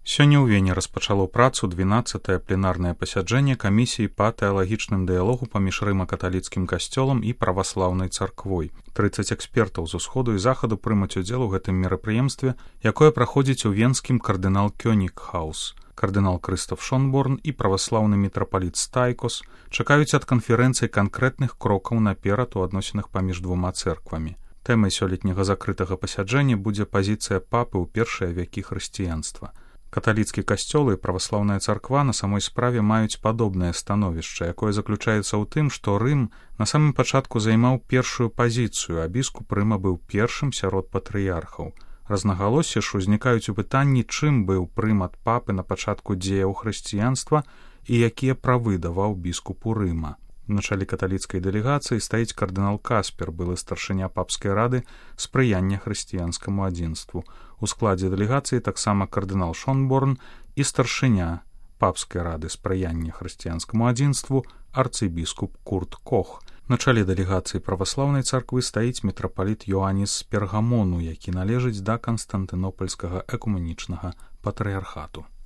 Сёння ў Вене распачало працу 12-е пленарнае пасяджэнне камісіі па тэалагічным дыялогу паміж рыма-каталіцкім касцёлам і праваслаўнай царквой. 30 экспертаў з усходу і захаду прымуць удзел у гэтым мерапрыемстве, якое праходзіць у венскім кардынал Кёнігхаус. Кардынал Крыстоф Шонборн і праваслаўны мітрапаліт Стайкос чакаюць ад канферэнцыі канкрэтных крокаў наперад у адносінах паміж двума цэрквамі. Тэмай сёлетняга закрытага пасяджэння будзе пазіцыя папы ў першыя вякі хрысціянства. Каталіцкі касцёл і праваслаўная царква на самой справе маюць падобнае становішча, якое заключаецца ў тым, што Рым на самым пачатку займаў першую пазіцыю, а біскуп Рыма быў першым сярод патрыярхаў. Разнагалоссі ж узнікаюць у пытанні, чым быў прымат папы на пачатку дзеяў хрысціянства і якія правы даваў біскупу Рыма. На чале каталіцкай дэлегацыі стаіць кардынал Каспер, былы старшыня папскай рады спрыяння хрысціянскаму адзінству. У складзе дэлегацыі таксама кардынал Шонборн і старшыня папскай рады спрыяння хрысціянскаму адзінству арцыбіскуп Курт Кох. На чале дэлегацыі праваслаўнай царквы стаіць мітрапаліт Йоанніс з Пергамону, які належыць да канстантынопальскага экуменічнага патрыярхату.